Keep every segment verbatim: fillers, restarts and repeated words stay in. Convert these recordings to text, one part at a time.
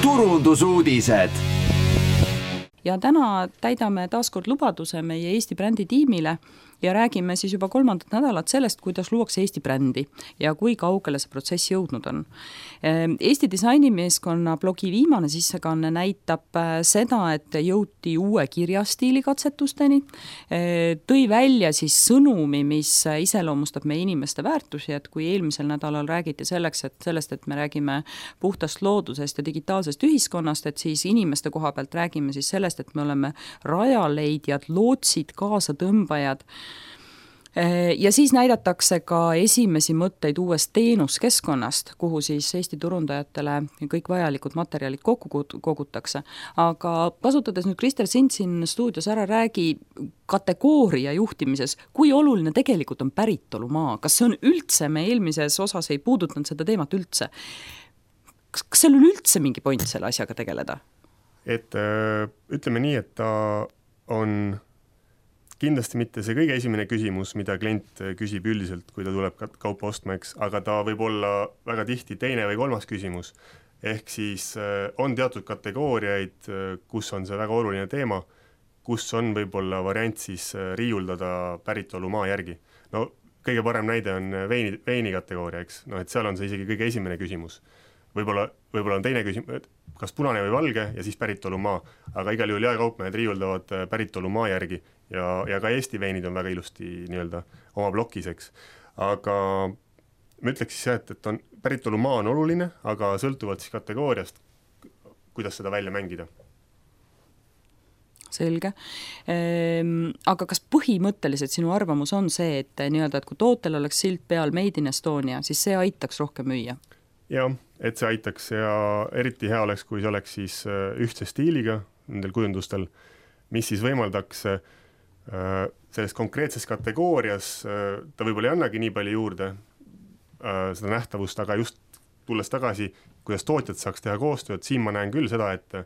turundusuudised. Ja täna täidame taaskord lubaduse meie Eesti brändi tiimile ja räägime siis juba kolmandat nädalat sellest, kuidas luuakse Eesti brändi ja kui kaugele see protsess jõudnud on. Eesti disainimeeskonna blogi viimane sissekanne näitab seda, et jõuti uue kirjastiili katsetusteni, tõi välja siis sõnumi, mis iseloomustab meie inimeste väärtusi, et kui eelmisel nädalal räägiti selleks, et sellest, et me räägime puhtast loodusest ja digitaalsest ühiskonnast, et siis inimeste koha pealt räägime siis sellest, et me oleme rajaleidjad, lootsid, kaasatõmbajad. Ja siis näidatakse ka esimesi mõtteid uuest teenuskeskkonnast, kuhu siis Eesti turundajatele kõik vajalikud materjalid kokku kogutakse. Aga kasutades nüüd Krister sind siin stuudios ära, räägi kategooria juhtimises, kui oluline tegelikult on päritolumaa. Kas see on üldse, me eelmises osas ei puudutanud seda teemat üldse. Kas, kas seal on üldse mingi point selle asjaga tegeleda? Et ütleme nii, et ta on kindlasti mitte see kõige esimene küsimus, mida klient küsib üldiselt, kui ta tuleb kaupa ostma, eks, aga ta võib olla väga tihti teine või kolmas küsimus. Ehk siis on teatud kategooriaid, kus on see väga oluline teema, kus on võib-olla variant siis riiuldada päritolumaa järgi. No kõige parem näide on veini, veini kategooria, eks, no et seal on see isegi kõige esimene küsimus. Võib-olla, võib-olla on teine küsimus, kas punane või valge ja siis päritolumaa, aga igal juhul jaekaupmehed riiuldavad päritolumaa järgi ja, ja ka Eesti veinid on väga ilusti nii-öelda oma blokiseks. Aga ma ütleks siis, et, et on, päritolumaa on oluline, aga sõltuvalt siis kategooriast, kuidas seda välja mängida. Selge. Ehm, aga kas põhimõtteliselt sinu arvamus on see, et, nii-öelda, et kui tootel oleks silt peal Made in Estonia, siis see aitaks rohkem müüa? Jah, et see aitaks ja eriti hea oleks, kui see oleks siis ühtse stiiliga nendel kujundustel, mis siis võimaldaks selles konkreetses kategoorias, ta võib-olla ei annagi nii palju juurde seda nähtavust, aga just tulles tagasi, kuidas tootjad saaks teha koostööd, siin ma näen küll seda, et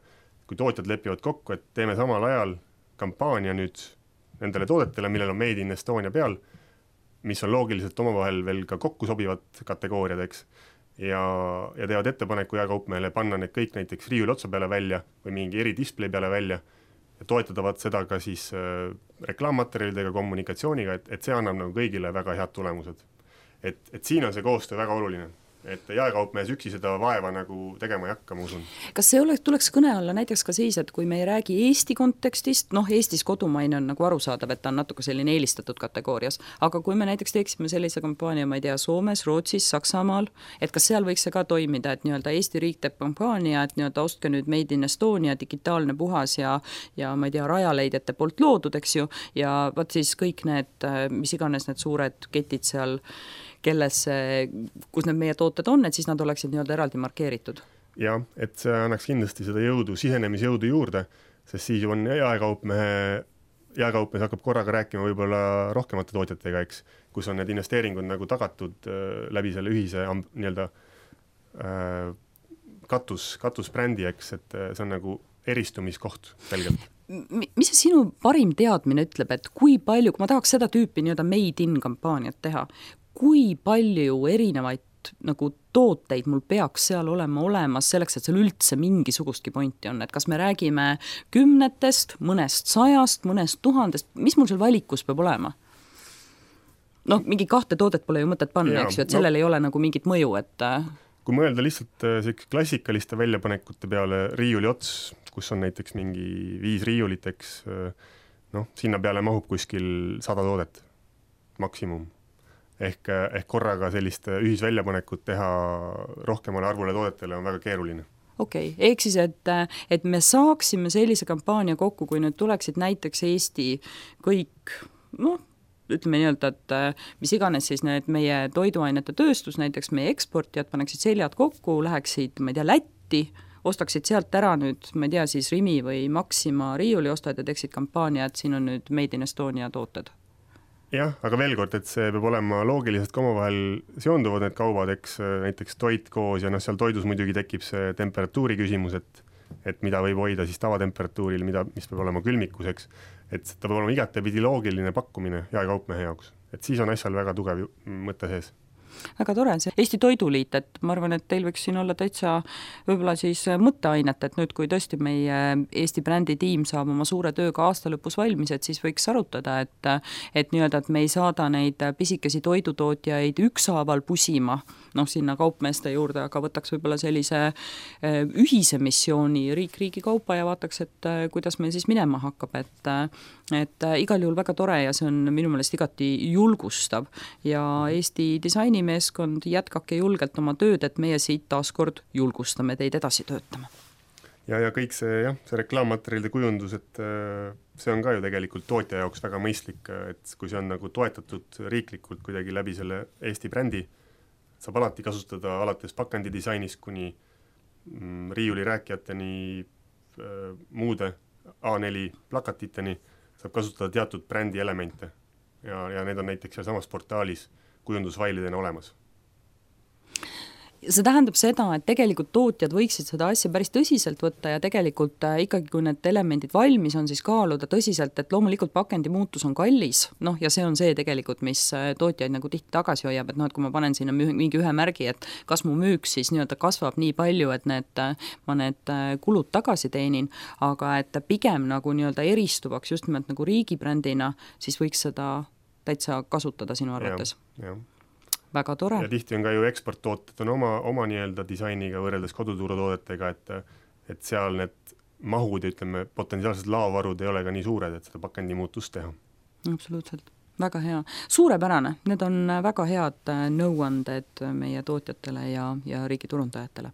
kui tootjad lepivad kokku, et teeme samal ajal kampaania nüüd nendele toodetele, millel on Made in Estonia peal, mis on loogiliselt omavahel veel ka kokku sobivad kategooriadeks, ja, ja teevad ettepaneku jaekaupmehele panna need kõik näiteks riiuli otsa peale välja või mingi eri display peale välja ja toetavad seda ka siis äh, reklaammaterjalidega, kommunikatsiooniga, et, et see annab nagu kõigile väga head tulemused. Et, et siin on see koostöö väga oluline. Et jaekaupmehes üksi seda vaeva nagu tegema ei hakka, ma usun. Kas see oleks, tuleks kõne alla näiteks ka siis, et kui me ei räägi Eesti kontekstist, noh Eestis kodumaine on nagu arusaadav, et ta on natuke selline eelistatud kategoorias, aga kui me näiteks teeksime sellise kampaania, ma ei tea, Soomes, Rootsis, Saksamaal, et kas seal võiks see ka toimida, et nii-öelda Eesti riik teeb kampaania, et nii-öelda ostke nüüd Made in Estonia, digitaalne puhas ja, ja ma ei tea, rajaleidjate poolt loodud, eks ju, ja võt siis kõik need, mis iganes need suured ketid seal kelles, kus need meie tooted on, et siis nad oleksid nii-öelda eraldi markeeritud. Jah, et see annaks kindlasti seda jõudu, sisenemisjõudu juurde, sest siis on jaekaupmehe, jaekaupmees hakkab korraga rääkima võib-olla rohkemate tootjatega, eks, kus on need investeeringud nagu tagatud äh, läbi selle ühise nii-öelda äh, katus, katusbrändi, eks, et äh, see on nagu eristumiskoht selgelt. Mis see sinu parim teadmine ütleb, et kui palju, kui ma tahaks seda tüüpi nii-öelda made in kampaaniat teha, kui palju erinevaid nagu tooteid mul peaks seal olema olemas selleks, et seal üldse mingisugustki pointi on, et kas me räägime kümnetest, mõnest sajast, mõnest tuhandest, mis mul seal valikus peab olema? Noh, mingi kahte toodet pole ju mõtet panna, eks ju, et sellel no, ei ole nagu mingit mõju, et kui mõelda lihtsalt klassikaliste väljapanekute peale riiuli ots, kus on näiteks mingi viis riiuliteks, noh, sinna peale mahub kuskil sada toodet maksimum. Ehk, ehk korraga sellist ühisväljapanekut teha rohkemale arvule toodetele on väga keeruline. Okei, okay. Ehk siis, et, et me saaksime sellise kampaania kokku, kui nüüd tuleksid näiteks Eesti kõik, noh, ütleme nii-öelda, et mis iganes siis need meie toiduainete tööstus, näiteks meie eksportijad paneksid seljad kokku, läheksid, ma ei tea, Lätti, ostaksid sealt ära nüüd, ma ei tea, siis Rimi või Maxima riiuli ostad ja teeksid kampaania, et siin on nüüd Made in Estonia tooted. Jah, aga veel kord, et see peab olema loogiliselt ka omavahel seonduvad need kaubad, eks näiteks toit koos ja noh, seal toidus muidugi tekib see temperatuuri küsimus, et, et mida võib hoida siis tavatemperatuuril, mida, mis peab olema külmikuseks, et ta peab olema igatepidi loogiline pakkumine jaekaupmehe jaoks, et siis on asjal väga tugev mõte sees. väga tore, see Eesti Toiduliit, et ma arvan, et teil võiks siin olla täitsa võib-olla siis mõtteainet, et nüüd, kui tõesti meie Eesti brändi tiim saab oma suure tööga aasta lõpus valmis, et siis võiks arutada, et et nii-öelda, et me ei saada neid pisikesi toidutootjaid ükshaaval pusima, noh, sinna kaupmeeste juurde, aga võtaks võib-olla sellise ühise missiooni riik riigi kaupa ja vaataks, et kuidas meil siis minema hakkab, et et igal juhul väga tore ja see on minu meelest igati julgustav ja Eesti disainimeeskond, jätkake julgelt oma tööd, et meie siit taaskord julgustame teid edasi töötama. ja, ja kõik see, jah, see reklaammaterjalide kujundus, et see on ka ju tegelikult tootja jaoks väga mõistlik, et kui see on nagu toetatud riiklikult kuidagi läbi selle Eesti brändi, saab alati kasutada alates pakandi disainist kuni mm, riiuli rääkijateni, muude A neli plakatiteni, saab kasutada teatud brändi elemente ja, ja need on näiteks seal samas portaalis kujundusfailidena olemas. See tähendab seda, et tegelikult tootjad võiksid seda asja päris tõsiselt võtta ja tegelikult ikkagi, kui need elemendid valmis on, siis kaaluda tõsiselt, et loomulikult pakendi muutus on kallis, noh ja see on see tegelikult, mis tootjaid nagu tihti tagasi hoiab, et noh, et kui ma panen sinna mingi ühe märgi, et kas mu müük siis nii-öelda kasvab nii palju, et need, ma need kulud tagasi teenin, aga et pigem nagu nii-öelda eristuvaks just nimelt nagu riigibrändina, siis võiks seda täitsa kasutada sinu arvates. Ja, ja. Väga tore. Ja tihti on ka ju eksporttooted on oma, oma nii-öelda disainiga võrreldes koduturutoodetega, et, et seal need mahud ja ütleme, potentsiaalsed laovarud ei ole ka nii suured, et seda pakendi muutust teha. Absoluutselt. Väga hea. Suurepärane. Need on väga head nõuanded meie tootjatele ja, ja riigi turundajatele.